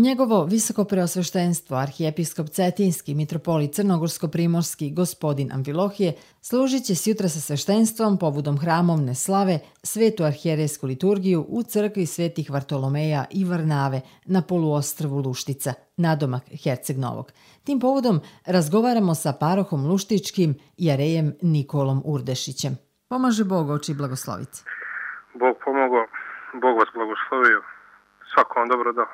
Njegovo visoko preosveštenstvo, arhijepiskop Cetinski, mitropolit Crnogorsko-primorski, gospodin Amfilohije, služit će sjutra sa sveštenstvom povodom hramovne slave svetu arhijerejsku liturgiju u crkvi svetih Vartolomeja i Varnave na poluostrvu Luštica, nadomak Herceg Novog. Tim povodom razgovaramo sa parohom Luštičkim i arejem Nikolom Urdešićem. Pomaže Bog, oči blagoslovice. Bog pomogao, Bog vas blagoslovio, svako vam dobro dao.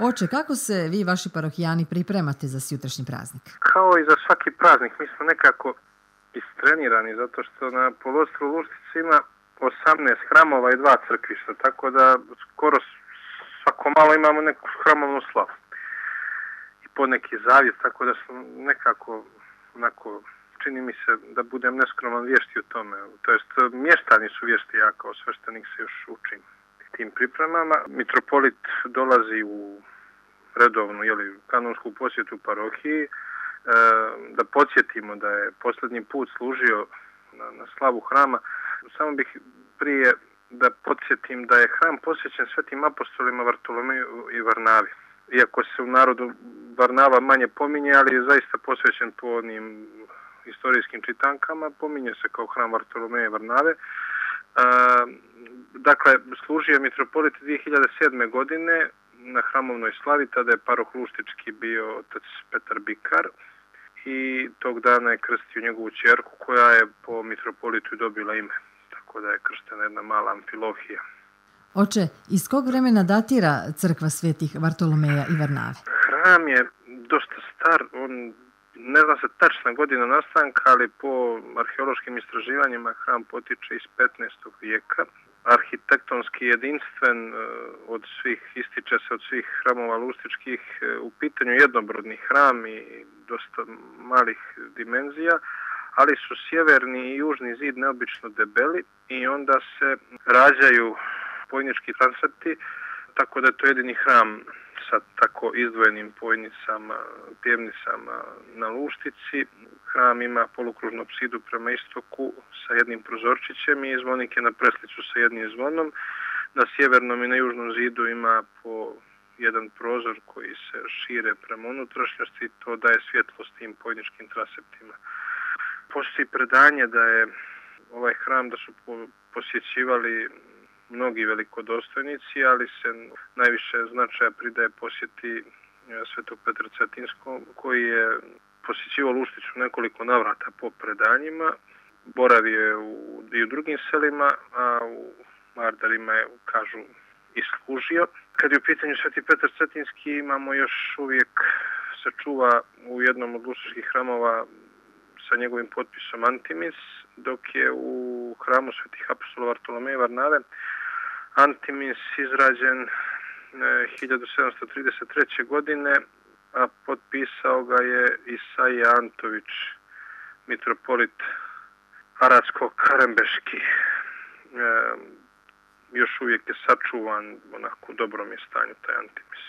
Oče, kako se vi, vaši parohijani, pripremate za sjutrašnji praznik? Kao i za svaki praznik, mi smo nekako istrenirani, zato što na poluostrvu Luštici ima 18 hramova i 2 crkvišta, tako da skoro svako malo imamo neku hramovnu slavu. I po neki zavjet, tako da smo nekako, onako, čini mi se da budem neskroman vješti u tome. To jest, mještani su vješti, ja kao sveštenik se još učim tim pripremama. Mitropolit dolazi u redovnu kanonsku posjetu parohiji. Da podsjetimo da je posljednji put služio na slavu hrama. Samo bih prije da podsjetim da je hram posvećen svetim apostolima Vartolomeju i Varnavi. Iako se u narodu Varnava manje pominje, ali je zaista posvećen po onim historijskim čitankama, pominje se kao hram Vartolomeja i Varnave. Dakle, služio je mitropolit 2007. godine na hramovnoj slavi, tada je paroh Luštički bio otac Petar Bikar i tog dana je krstio njegovu ćerku koja je po mitropolitu dobila ime, tako da je krštena jedna mala Amfilohija. Oče, iz kog vremena datira crkva svetih Vartolomeja i Varnave? Hram je dosta star, on ne zna se tačna godina nastanka, ali po arheološkim istraživanjima hram potiče iz 15. vijeka. Arhitektonski jedinstven ističe se od svih hramova lustičkih, u pitanju jednobrodni hram i dosta malih dimenzija, ali su sjeverni i južni zid neobično debeli i onda se rađaju pojnički transepti, tako da je to jedini hram sa tako izdvojenim pojnicama, pjevnicama na Luštici. Hram ima polukružnu apsidu prema istoku sa jednim prozorčićem i zvonike na preslicu sa jednim zvonom. Na sjevernom i na južnom zidu ima po jedan prozor koji se šire prema unutrašnjosti i to daje svjetlost tim pojničkim transeptima. Postoji predanje da je ovaj hram da su posjećivali mnogi velikodostojnici, ali se najviše značaja pridaje posjeti svetog Petra Cetinskog, koji je posjećivao Lušticu nekoliko navrata po predanjima. Boravio je i u drugim selima, a u Mardarima je, kažu, i služio. Kad je u pitanju sveti Petar Cetinski, imamo još uvijek se čuva u jednom od luštičkih hramova sa njegovim potpisom Antimis, dok je u hramu svetih apostola Vartolomeja i Varnave Antimis izrađen 1733. godine, a potpisao ga je Isaija Antović, mitropolit Aradsko-Karembeški. Još uvijek je sačuvan, onako u dobrom je stanju taj Antimis.